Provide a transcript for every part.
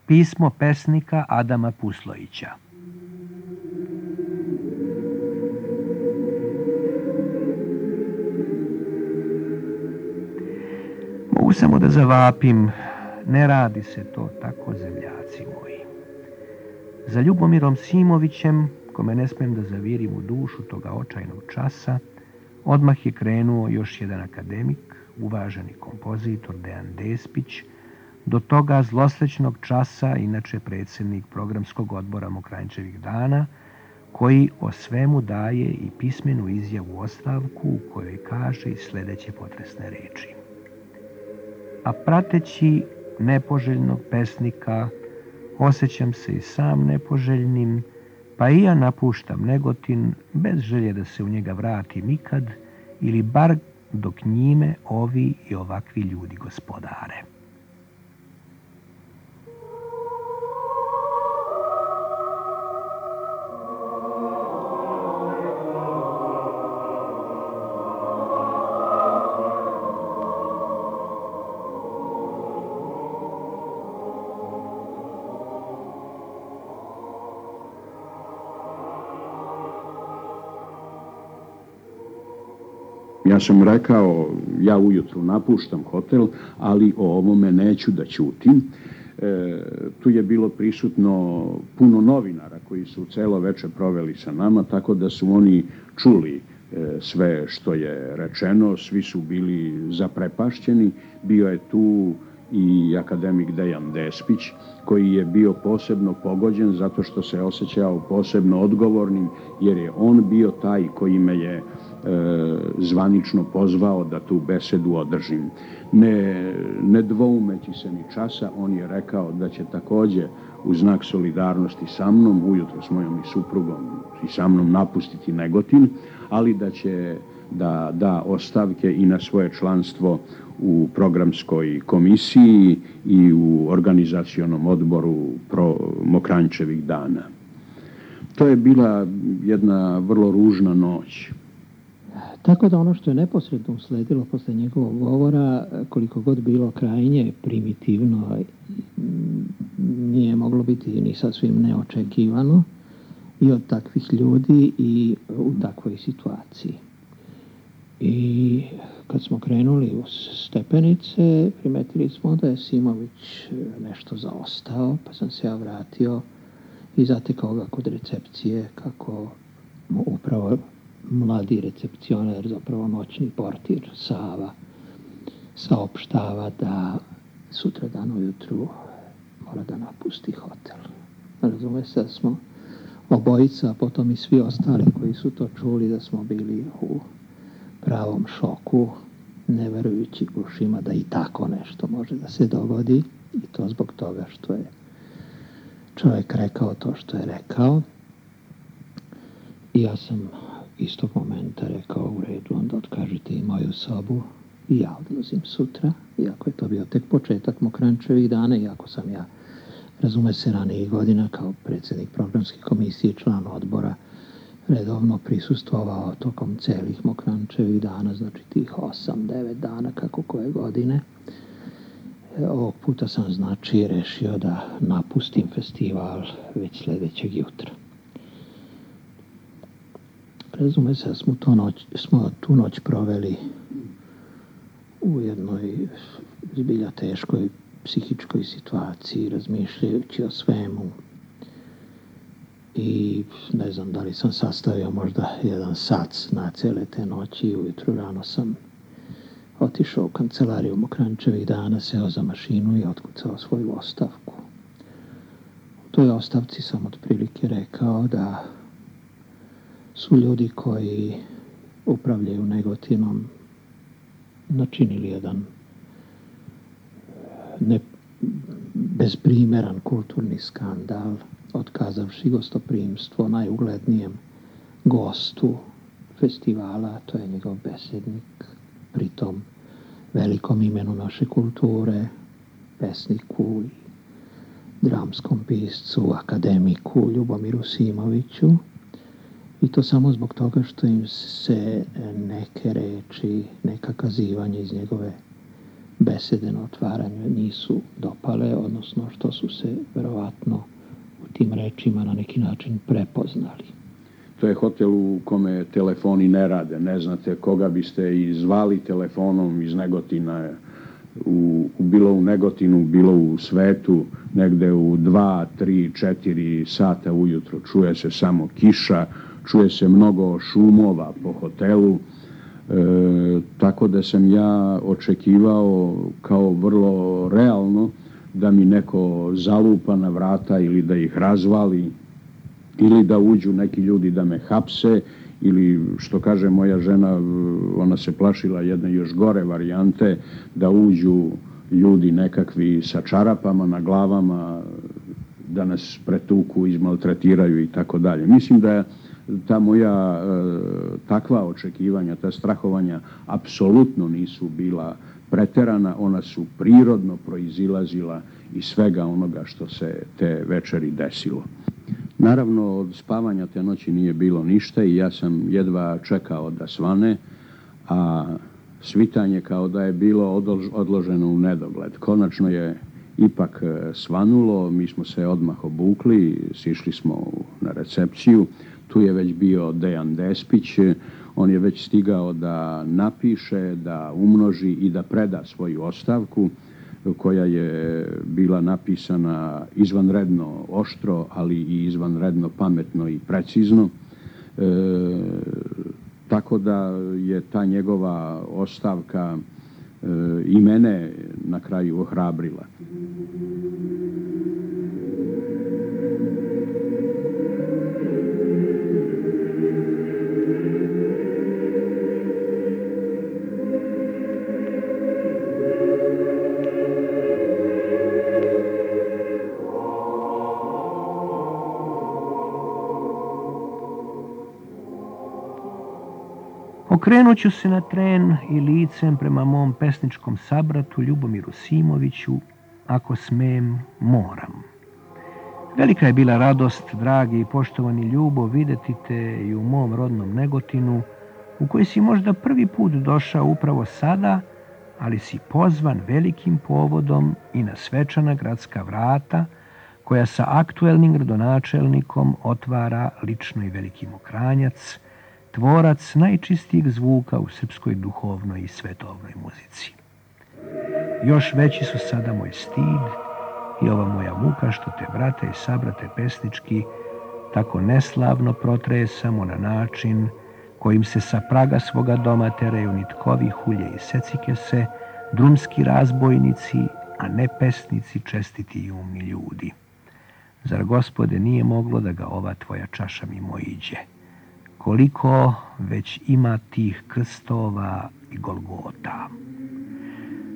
Pismo pesnika Adama Puslojića. Mogu samo da zavapim, ne radi se to tako, zemljaci moji. Za Ljubomirom Simovićem, kome ne smem da zavirim u dušu toga očajnog časa, odmah je krenuo još jedan akademik, uvaženi kompozitor Dejan Despić, do toga zlosrećnog časa, inače predsjednik programskog odbora Mokranjčevih dana, koji o svemu daje i pismenu izjavu ostavku u kojoj kaže i sljedeće potresne reči. A prateći nepoželjnog pesnika, osjećam se i sam nepoželjnim, pa i ja napuštam Negotin bez želje da se u njega vratim ikad, ili bar dok njime ovi i ovakvi ljudi gospodare. Ja sam rekao, ja ujutru napuštam hotel, ali o ovome neću da ćutim. Tu je bilo prisutno puno novinara koji su celo večer proveli sa nama, tako da su oni čuli sve što je rečeno, svi su bili zaprepašćeni. Bio je tu i akademik Dejan Despić, koji je bio posebno pogođen zato što se osjećao posebno odgovornim, jer je on bio taj koji me je zvanično pozvao da tu besedu održim. Ne dvoumeći se ni časa, on je rekao da će također u znak solidarnosti sa mnom, ujutro s mojom i suprugom i sa mnom napustiti Negotin, ali da će da ostavke i na svoje članstvo u programskoj komisiji i u organizacionom odboru Mokranjčevih dana. To je bila jedna vrlo ružna noć. Tako da ono što je neposredno usledilo posle njegovog govora, koliko god bilo krajnje primitivno, nije moglo biti ni sasvim neočekivano i od takvih ljudi i u takvoj situaciji. I kad smo krenuli u stepenice, primetili smo da je Simović nešto zaostao, pa sam se ja vratio i zatekao ga kod recepcije kako mu upravo mladi recepcioner, zapravo noćni portir Sava, saopštava da sutradan ujutru mora da napusti hotel. Razume se da smo obojica, a potom i svi ostali koji su to čuli, da smo bili u pravom šoku, ne verujući ušima da i tako nešto može da se dogodi, i to zbog toga što je čovjek rekao to što je rekao. I ja sam istog momenta rekao, u redu, onda otkažite i moju sobu i ja odlazim sutra, iako je to bio tek početak Mokranjčevih dana, iako sam ja, razume se, ranijih godina kao predsjednik programske komisije i član odbora redovno prisustvovao tokom celih Mokranjčevih dana, znači tih 8-9 dana kako koje godine. Ovog puta sam, znači, rešio da napustim festival već sljedećeg jutra. Razume se da smo tu noć proveli u jednoj zbilja teškoj psihičkoj situaciji, razmišljajući o svemu. I ne znam da li sam sastavio možda jedan sac na cele te noći i ujutru rano sam otišao u kancelariju Mokranjčevih dana, seo za mašinu i otkucao svoju ostavku. U toj ostavci sam otprilike rekao da su ljudi koji upravljaju Negotinom načinili jedan bezprimeran kulturni skandal, otkazavši gostoprimstvo najuglednijem gostu festivala, to je njegov besednik, pritom velikom imenu naše kulture, pesniku i dramskom piscu, akademiku Ljubomiru Simoviću. I to samo zbog toga što im se neke reči, neka kazivanja iz njegove besede na otvaranju nisu dopale, odnosno što su se verovatno u tim rečima na neki način prepoznali. To je hotel u kome telefoni ne rade, ne znate koga biste i zvali telefonom iz Negotina, bilo u Negotinu, bilo u svetu, negde u 2, 3, 4 sata ujutro. Čuje se samo kiša, čuje se mnogo šumova po hotelu, tako da sam ja očekivao kao vrlo realno da mi neko zalupa na vrata ili da ih razvali, ili da uđu neki ljudi da me hapse, ili što kaže moja žena, ona se plašila jedne još gore varijante, da uđu ljudi nekakvi sa čarapama na glavama, da nas pretuku, izmaltretiraju i tako dalje. Mislim da ta moja takva očekivanja, ta strahovanja apsolutno nisu bila preterana, ona su prirodno proizilazila iz svega onoga što se te večeri desilo. Naravno, od spavanja te noći nije bilo ništa i ja sam jedva čekao da svane, a svitanje kao da je bilo odloženo u nedogled. Konačno je ipak svanulo, mi smo se odmah obukli, sišli smo na recepciju, tu je već bio Dejan Despić, on je već stigao da napiše, da umnoži i da preda svoju ostavku, koja je bila napisana izvanredno oštro, ali i izvanredno pametno i precizno. Tako da je ta njegova ostavka i mene na kraju ohrabrila. Okrenut ću se na tren i licem prema mom pesničkom sabratu Ljubomiru Simoviću, ako smem, moram. Velika je bila radost, dragi i poštovani Ljubo, videti te i u mom rodnom Negotinu, u koji si možda prvi put došao upravo sada, ali si pozvan velikim povodom i na svečana gradska vrata, koja sa aktuelnim gradonačelnikom otvara lično i veliki Mokranjac, tvorac najčistijeg zvuka u srpskoj duhovnoj i svetovnoj muzici. Još veći su sada moj stid i ova moja muka što te, brate i sabrate pesnički, tako neslavno protresamo na način kojim se sa praga svoga doma teraju nitkovi hulje i secikese, drumski razbojnici, a ne pesnici, čestiti i umni ljudi. Zar, Gospode, nije moglo da ga ova tvoja čaša mimoiđe? Koliko već ima tih krstova i Golgota.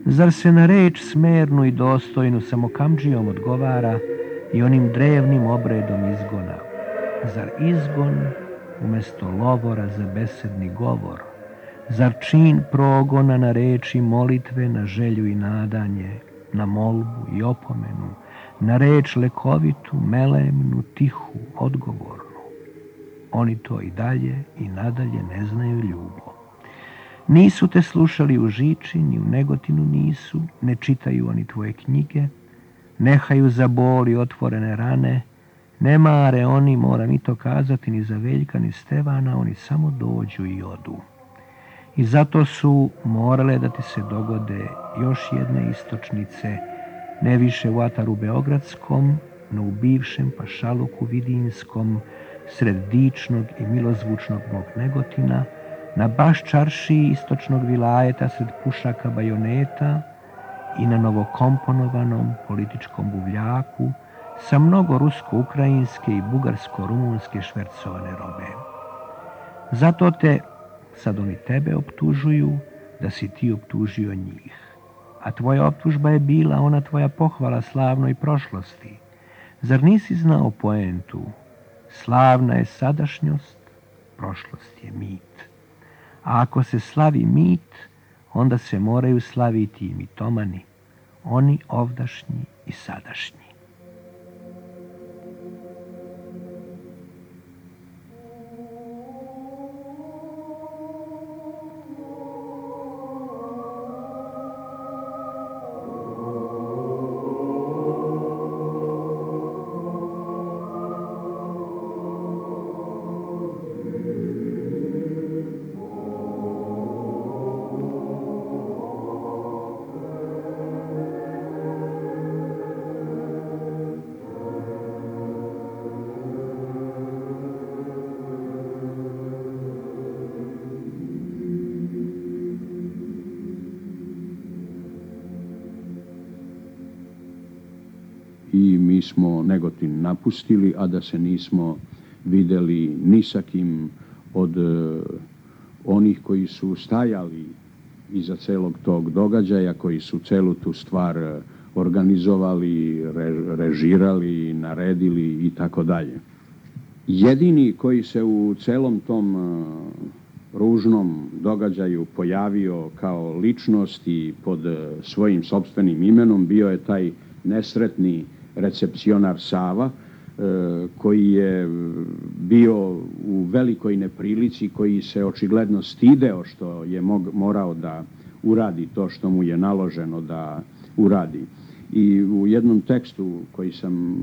Zar se na reč smernu i dostojnu samo kamdžijom odgovara i onim drevnim obredom izgona? Zar izgon umjesto lovora za besedni govor? Zar čin progona na reči molitve, na želju i nadanje, na molbu i opomenu, na reč lekovitu, melemnu, tihu, odgovornu? Oni to i dalje i nadalje ne znaju, Ljubo. Nisu te slušali u Žiči, ni u Negotinu nisu, ne čitaju oni tvoje knjige, nehaju za bol i otvorene rane, ne mare oni, moram i to kazati, ni za Veljka, ni Stevana, oni samo dođu i odu. I zato su morale da ti se dogode još jedne istočnice, ne više u ataru Beogradskom, no u bivšem pašaluku Vidinskom, sred dičnog i milozvučnog mog Negotina, na baš čaršiji istočnog vilajeta sred pušaka bajoneta i na novokomponovanom političkom buvljaku sa mnogo rusko-ukrajinske i bugarsko-rumunske švercovane robe. Zato te, sad oni tebe optužuju, da si ti optužio njih. A tvoja optužba je bila ona tvoja pohvala slavnoj prošlosti. Zar nisi znao poentu? Slavna je sadašnjost, prošlost je mit. A ako se slavi mit, onda se moraju slaviti i mitomani, oni ovdašnji i sadašnji. i mi smo Negotin napustili, a da se nismo videli ni sa kim od onih koji su stajali iza celog tog događaja, koji su celu tu stvar organizovali, režirali, naredili i tako dalje. Jedini koji se u celom tom ružnom događaju pojavio kao ličnost i pod svojim sopstvenim imenom bio je taj nesretni recepcionar Sava, koji je bio u velikoj neprilici, koji se očigledno stideo što je morao da uradi to što mu je naloženo da uradi. I u jednom tekstu koji sam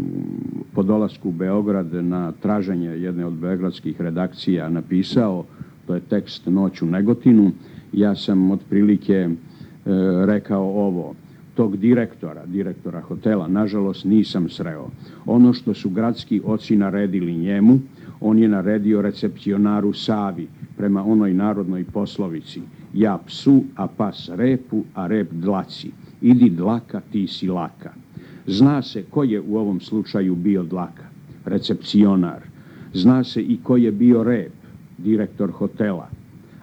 po dolasku u Beograd na traženje jedne od beogradskih redakcija napisao, to je tekst Noć u Negotinu, ja sam otprilike rekao ovo: tog direktora hotela, nažalost, nisam sreo. Ono što su gradski oci naredili njemu, on je naredio recepcionaru Savi, prema onoj narodnoj poslovici: ja psu, a pas repu, a rep dlaci. Idi dlaka, ti si laka. Zna se ko je u ovom slučaju bio dlaka, recepcionar. Zna se i ko je bio rep, direktor hotela.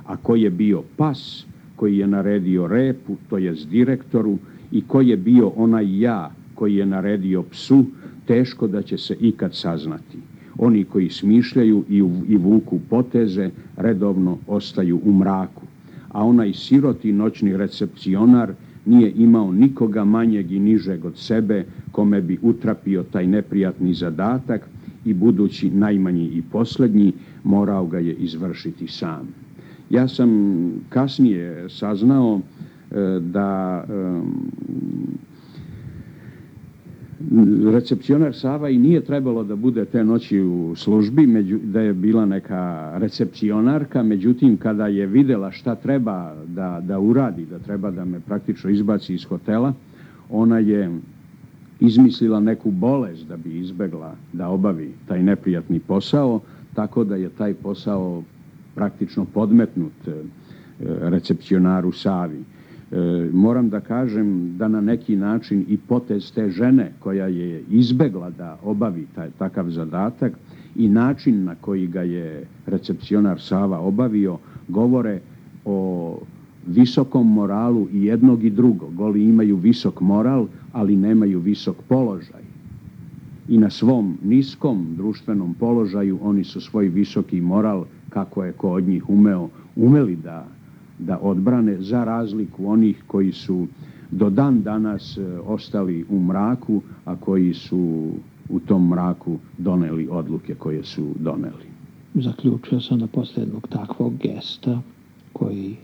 A ko je bio pas, koji je naredio repu, to jest direktoru, i ko je bio onaj ja koji je naredio psu, teško da će se ikad saznati. Oni koji smišljaju i vuku poteze redovno ostaju u mraku. A onaj siroti noćni recepcionar nije imao nikoga manjeg i nižeg od sebe kome bi utrapio taj neprijatni zadatak i budući najmanji i posljednji morao ga je izvršiti sam. Ja sam kasnije saznao da recepcionar Sava i nije trebalo da bude te noći u službi, da je bila neka recepcionarka, međutim kada je videla šta treba da uradi, da treba da me praktično izbaci iz hotela, ona je izmislila neku bolest da bi izbegla da obavi taj neprijatni posao, tako da je taj posao praktično podmetnut recepcionaru Savi. Moram da kažem da na neki način i potez te žene koja je izbegla da obavi takav zadatak i način na koji ga je recepcionar Sava obavio govore o visokom moralu i jednog i drugog. Oni imaju visok moral, ali nemaju visok položaj. I na svom niskom društvenom položaju oni su svoj visoki moral, kako je ko od njih umeli da odbrane, za razliku onih koji su do dan danas ostali u mraku, a koji su u tom mraku doneli odluke koje su doneli. Zaključio sam da posle jednog takvog gesta, koji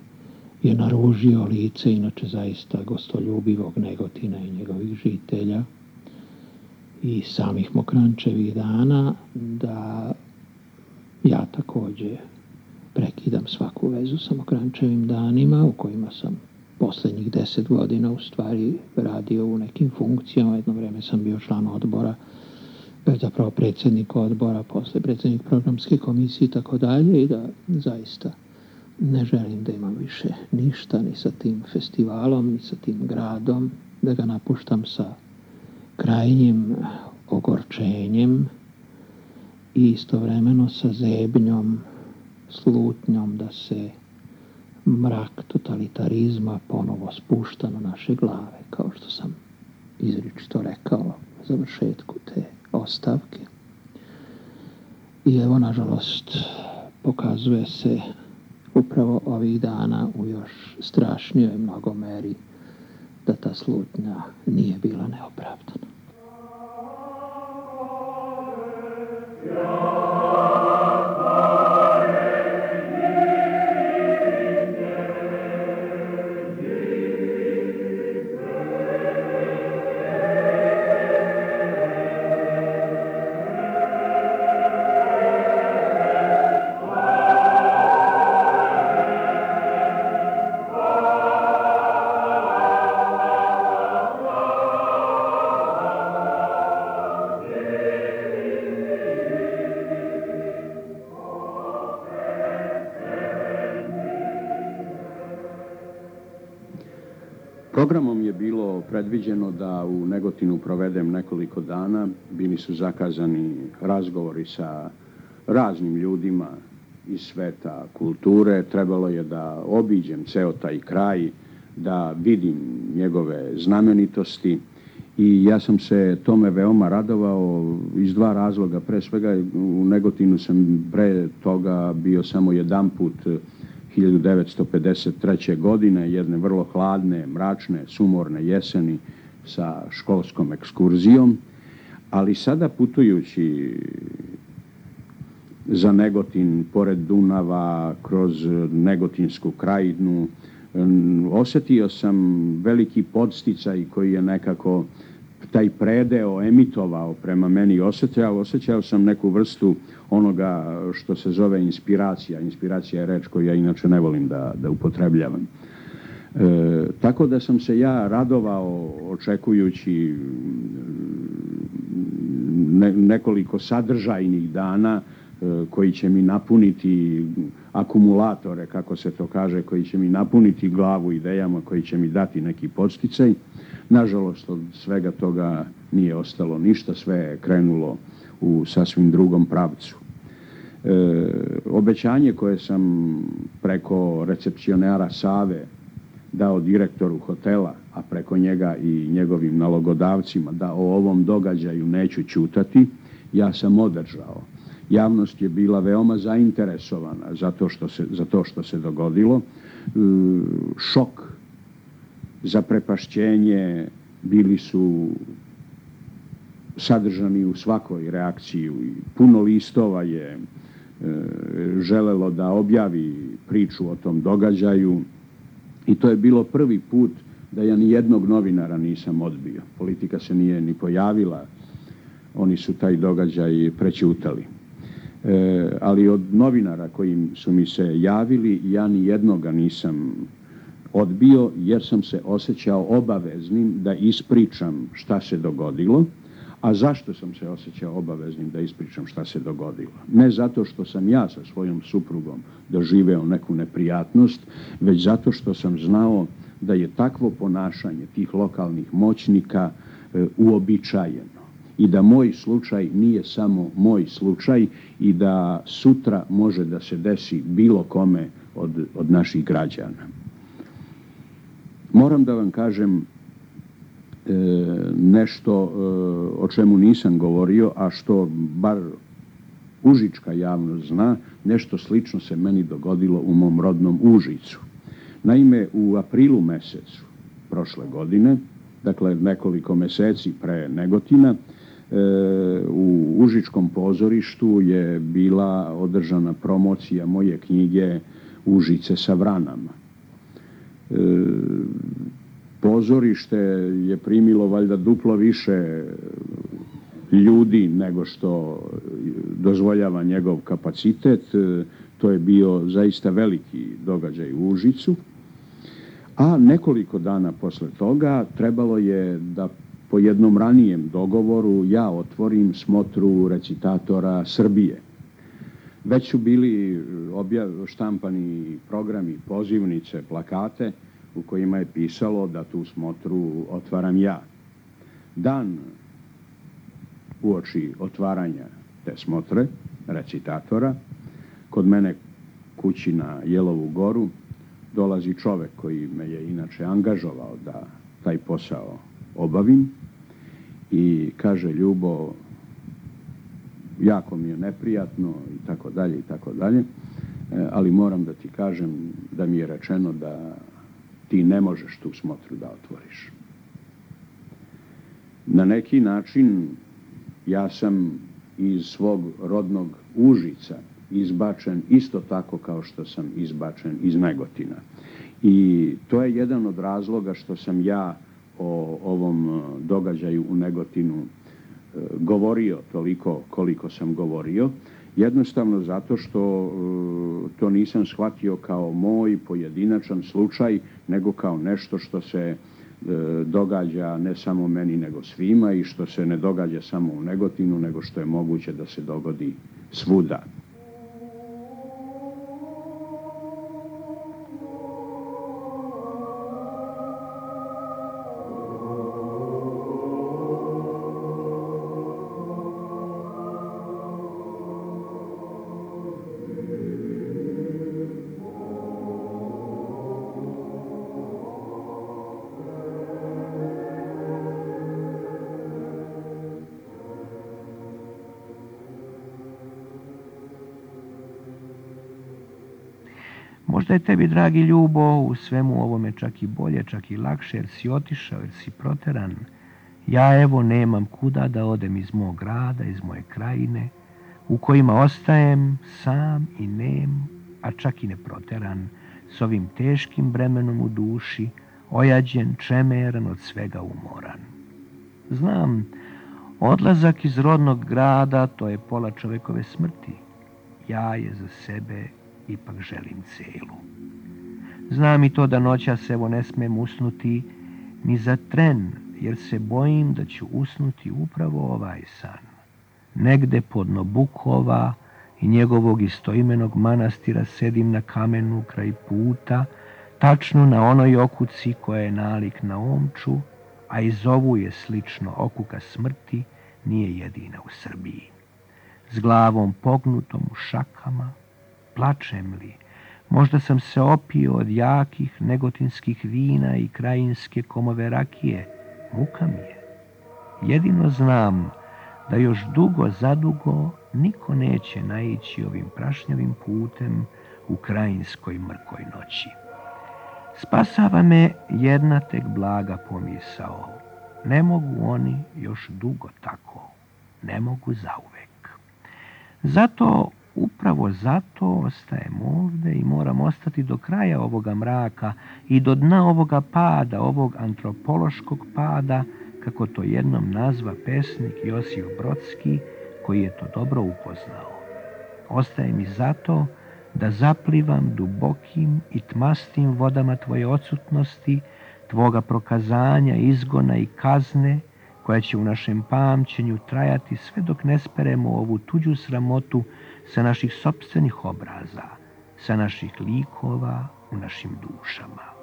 je naružio lice inače zaista gostoljubivog Negotina i njegovih žitelja i samih Mokranjčevih dana, da ja takođe prekidam svaku vezu sa Mokranjčevim danima, u kojima sam poslednjih 10 godina u stvari radio u nekim funkcijama. Jedno vreme sam bio član odbora, zapravo predsjednik odbora, posle predsjednik programske komisije i tako dalje, i da zaista ne želim da imam više ništa ni sa tim festivalom, ni sa tim gradom, da ga napuštam sa krajnjim ogorčenjem i istovremeno sa zebnjom, slutnjom da se mrak totalitarizma ponovo spušta na naše glave, kao što sam izričito rekao na završetku te ostavke. I evo, nažalost, pokazuje se upravo ovih dana u još strašnijoj mnogomeri da ta slutnja nije bila neopravdana. Programom je bilo predviđeno da u Negotinu provedem nekoliko dana. Bili su zakazani razgovori sa raznim ljudima iz sveta kulture. Trebalo je da obiđem ceo taj kraj, da vidim njegove znamenitosti i ja sam se tome veoma radovao iz dva razloga. Pre svega u Negotinu sam pre toga bio samo jedan put 1953. godine, jedne vrlo hladne, mračne, sumorne jeseni sa školskom ekskurzijom, ali sada putujući za Negotin, pored Dunava, kroz Negotinsku krajinu, osjetio sam veliki podsticaj koji je nekako taj predeo emitovao prema meni. Osjećao sam neku vrstu onoga što se zove inspiracija. Inspiracija je reč koju ja inače ne volim da upotrebljavam. Tako da sam se ja radovao očekujući nekoliko sadržajnih dana koji će mi napuniti akumulatore, kako se to kaže, koji će mi napuniti glavu idejama, koji će mi dati neki podsticaj. Nažalost, od svega toga nije ostalo ništa, sve je krenulo u sasvim drugom pravcu. Obećanje koje sam preko recepcionara Save dao direktoru hotela, a preko njega i njegovim nalogodavcima, da o ovom događaju neću ćutati, ja sam održao. Javnost je bila veoma zainteresovana za to što se dogodilo. Šok, zaprepašćenje bili su sadržani u svakoj reakciji. Puno listova je želelo da objavi priču o tom događaju i to je bilo prvi put da ja ni jednog novinara nisam odbio. Politika se nije ni pojavila, oni su taj događaj prećutali. Ali od novinara koji su mi se javili, ja ni jednoga nisam odbio, jer sam se osjećao obaveznim da ispričam šta se dogodilo. A zašto sam se osjećao obaveznim da ispričam šta se dogodilo? Ne zato što sam ja sa svojom suprugom doživeo neku neprijatnost, već zato što sam znao da je takvo ponašanje tih lokalnih moćnika uobičajeno i da moj slučaj nije samo moj slučaj i da sutra može da se desi bilo kome od naših građana. Moram da vam kažem nešto o čemu nisam govorio, a što bar užička javnost zna. Nešto slično se meni dogodilo u mom rodnom Užicu. Naime, u aprilu mesecu prošle godine, dakle nekoliko meseci pre Negotina, u Užičkom pozorištu je bila održana promocija moje knjige Užice sa vranama. Pozorište je primilo valjda duplo više ljudi nego što dozvoljava njegov kapacitet. To je bio zaista veliki događaj u Užicu. A nekoliko dana posle toga trebalo je da po jednom ranijem dogovoru ja otvorim smotru recitatora Srbije. Već su bili štampani programi, pozivnice, plakate u kojima je pisalo da tu smotru otvaram ja. Dan uoči otvaranja te smotre recitatora, kod mene kući na Jelovu goru dolazi čovek koji me je inače angažovao da taj posao obavim i kaže: Ljubo, jako mi je neprijatno i tako dalje, ali moram da ti kažem da mi je rečeno da ti ne možeš tu smotru da otvoriš. Na neki način ja sam iz svog rodnog Užica izbačen isto tako kao što sam izbačen iz Negotina. I to je jedan od razloga što sam ja o ovom događaju u Negotinu govorio toliko koliko sam govorio. Jednostavno zato što to nisam shvatio kao moj pojedinačan slučaj, nego kao nešto što se događa ne samo meni nego svima i što se ne događa samo u Negotinu, nego što je moguće da se dogodi svuda. Možda je tebi, dragi Ljubo, u svemu ovome čak i bolje, čak i lakše, jer si otišao, jer si proteran. Ja, evo, nemam kuda da odem iz mog grada, iz moje krajine, u kojima ostajem sam i nem, a čak i ne proteran, s ovim teškim bremenom u duši, ojađen, čemeran, od svega umoran. Znam, odlazak iz rodnog grada, to je pola čovekove smrti. Ja je za sebe ipak želim celu. Znam i to da noćas evo ne smem usnuti ni za tren, jer se bojim da ću usnuti upravo ovaj san. Negde podno Bukova i njegovog istoimenog manastira sedim na kamenu kraj puta, tačno na onoj okuci koja je nalik na omču, a iz ovu je slično okuka smrti, nije jedina u Srbiji. S glavom pognutom u šakama, plačem li? Možda sam se opio od jakih negotinskih vina i krajinske komove rakije. Muka mi je. Jedino znam da još dugo zadugo niko neće naići ovim prašnjavim putem u krajinskoj mrkoj noći. Spasava me jedna tek blaga pomisao. Ne mogu oni još dugo tako. Ne mogu zauvek. Zato, upravo zato ostajem ovde i moram ostati do kraja ovoga mraka i do dna ovoga pada, ovog antropološkog pada, kako to jednom nazva pesnik Josif Brodski, koji je to dobro upoznao. Ostajem i zato da zaplivam dubokim i tmastim vodama tvoje odsutnosti, tvoga prokazanja, izgona i kazne, koja će u našem pamćenju trajati sve dok ne speremo ovu tuđu sramotu sa naših sopstvenih obraza, sa naših likova u našim dušama.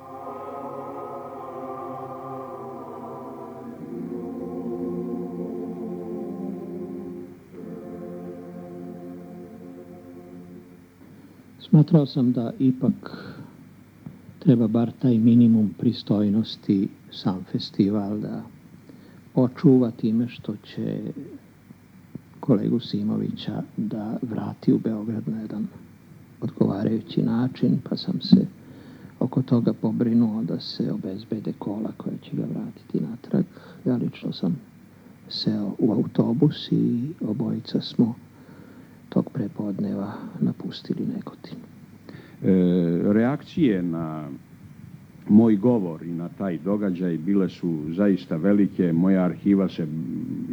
Smatrao sam da ipak treba bar taj minimum pristojnosti sam festival da očuva time što će kolegu Simovića da vrati u Beograd na jedan odgovarajući način, pa sam se oko toga pobrinuo da se obezbede kola koja će ga vratiti natrag. Ja lično sam seo u autobus i obojica smo tog prepodneva napustili Negotin. Reakcije na moj govor i na taj događaj bile su zaista velike. Moja arhiva se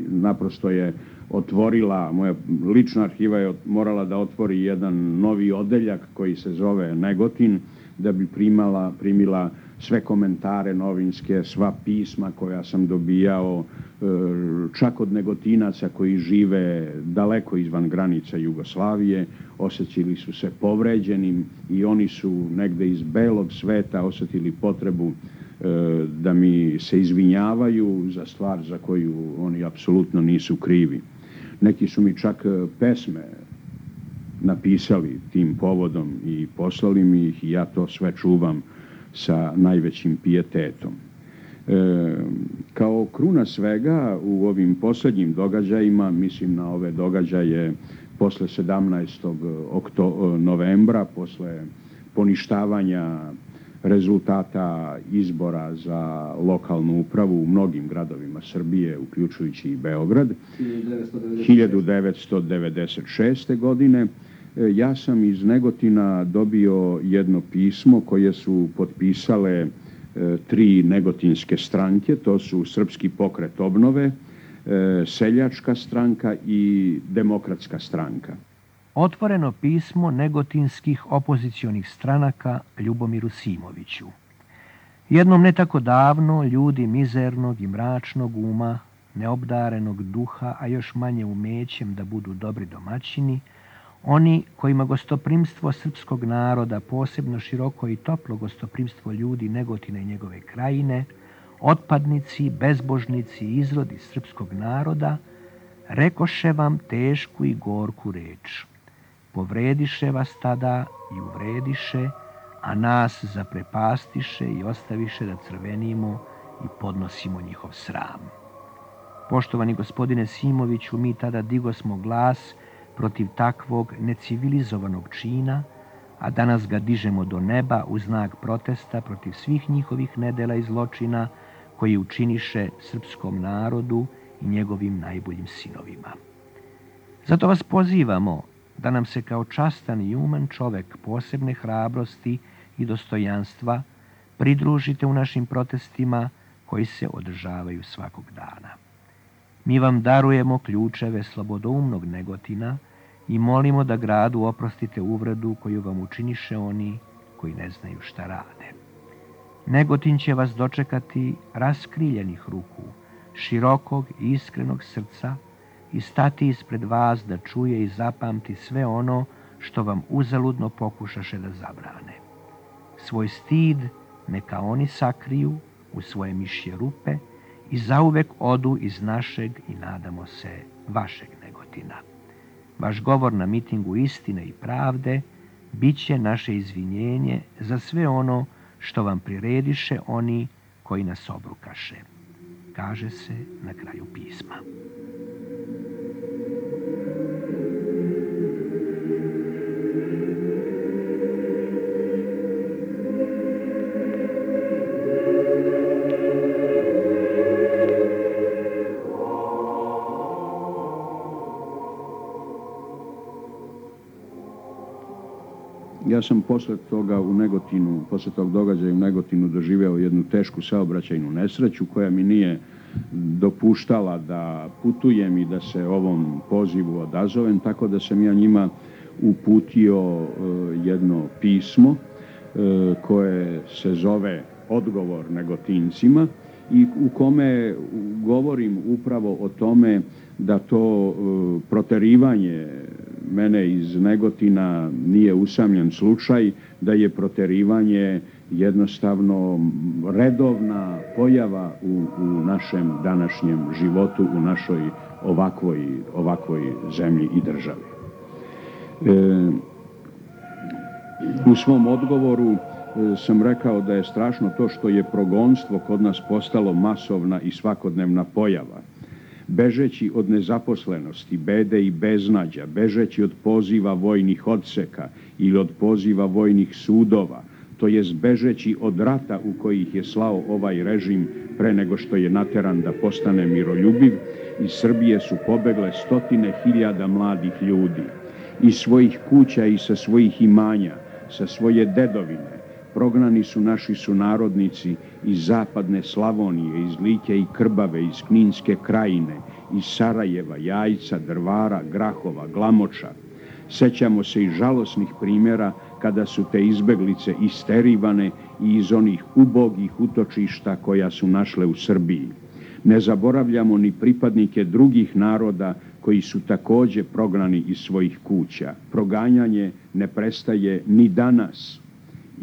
naprosto je otvorila, moja lična arhiva je morala da otvori jedan novi odeljak koji se zove Negotin, da bi primila sve komentare novinske, sva pisma koja sam dobijao, čak od Negotinaca koji žive daleko izvan granica Jugoslavije, osjećali su se povređenim i oni su negde iz belog sveta osjetili potrebu da mi se izvinjavaju za stvar za koju oni apsolutno nisu krivi. Neki su mi čak pesme napisali tim povodom i poslali mi ih i ja to sve čuvam sa najvećim pijetetom. Kao kruna svega u ovim posljednjim događajima, mislim na ove događaje posle 17. novembra, posle poništavanja rezultata izbora za lokalnu upravu u mnogim gradovima Srbije, uključujući i Beograd, 1996. godine, ja sam iz Negotina dobio jedno pismo koje su potpisale 3 negotinske stranke, to su Srpski pokret obnove, Seljačka stranka i Demokratska stranka. Otvoreno pismo negotinskih opozicionih stranaka Ljubomiru Simoviću. Jednom ne tako davno ljudi mizernog i mračnog uma, neobdarenog duha, a još manje umećem da budu dobri domaćini, oni kojima gostoprimstvo srpskog naroda, posebno široko i toplo gostoprimstvo ljudi Negotina i njegove krajine, otpadnici, bezbožnici i izrodi srpskog naroda, rekoše vam tešku i gorku reč. Povrediše vas tada i uvrediše, a nas zaprepastiše i ostaviše da crvenimo i podnosimo njihov sram. Poštovani gospodine Simoviću, mi tada digosmo glas protiv takvog necivilizovanog čina, a danas ga dižemo do neba u znak protesta protiv svih njihovih nedela i zločina koji učiniše srpskom narodu i njegovim najboljim sinovima. Zato vas pozivamo da nam se kao častan i uman čovek posebne hrabrosti i dostojanstva pridružite u našim protestima koji se održavaju svakog dana. Mi vam darujemo ključeve slobodoumnog Negotina i molimo da gradu oprostite uvredu koju vam učiniše oni koji ne znaju šta rade. Negotin će vas dočekati raskriljenih ruku, širokog i iskrenog srca i stati ispred vas da čuje i zapamti sve ono što vam uzaludno pokušaše da zabrane. Svoj stid neka oni sakriju u svoje mišje rupe i zauvek odu iz našeg i, nadamo se, vašeg Negotina. Vaš govor na mitingu istine i pravde bit će naše izvinjenje za sve ono što vam prirediše oni koji nas obrukaše, kaže se na kraju pisma. Ja sam posle tog događaja u Negotinu doživeo jednu tešku saobraćajnu nesreću koja mi nije dopuštala da putujem i da se ovom pozivu odazovem, tako da sam ja njima uputio jedno pismo koje se zove Odgovor Negotincima i u kome govorim upravo o tome da to proterivanje mene iz Negotina nije usamljen slučaj, da je proterivanje jednostavno redovna pojava u našem današnjem životu, u našoj ovakvoj zemlji i državi. U svom odgovoru sam rekao da je strašno to što je progonstvo kod nas postalo masovna i svakodnevna pojava. Bežeći od nezaposlenosti, bede i beznađa, bežeći od poziva vojnih odseka ili od poziva vojnih sudova, to jest bežeći od rata u koji ih je slao ovaj režim pre nego što je nateran da postane miroljubiv, iz Srbije su pobegle 100.000 mladih ljudi. Iz svojih kuća i sa svojih imanja, sa svoje dedovine, prognani su naši sunarodnici iz zapadne Slavonije, iz Like i Krbave, iz Kninske krajine, iz Sarajeva, Jajca, Drvara, Grahova, Glamoča. Sećamo se i žalosnih primjera kada su te izbeglice isterivane i iz onih ubogih utočišta koja su našle u Srbiji. Ne zaboravljamo ni pripadnike drugih naroda koji su takođe prognani iz svojih kuća. Proganjanje ne prestaje ni danas.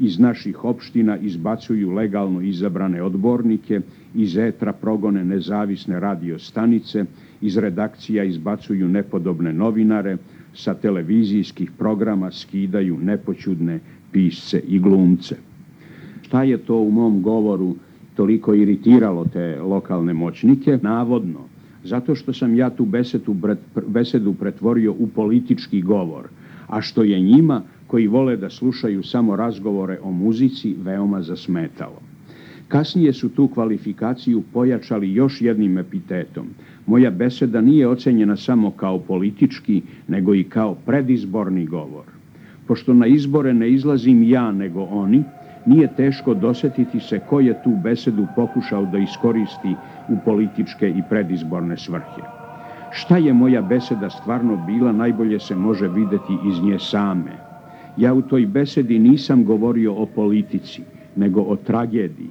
Iz naših opština izbacuju legalno izabrane odbornike, iz etra progone nezavisne radio stanice, iz redakcija izbacuju nepodobne novinare, sa televizijskih programa skidaju nepoćudne pisce i glumce. Šta je to u mom govoru toliko iritiralo te lokalne moćnike? Navodno, zato što sam ja tu besedu pretvorio u politički govor, a što je njima, koji vole da slušaju samo razgovore o muzici, veoma zasmetalo. Kasnije su tu kvalifikaciju pojačali još jednim epitetom. Moja beseda nije ocenjena samo kao politički, nego i kao predizborni govor. Pošto na izbore ne izlazim ja, nego oni, nije teško dosetiti se ko je tu besedu pokušao da iskoristi u političke i predizborne svrhe. Šta je moja beseda stvarno bila, najbolje se može videti iz nje same. Ja u toj besedi nisam govorio o politici, nego o tragediji.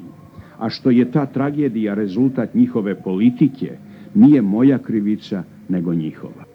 A što je ta tragedija rezultat njihove politike, nije moja krivica, nego njihova.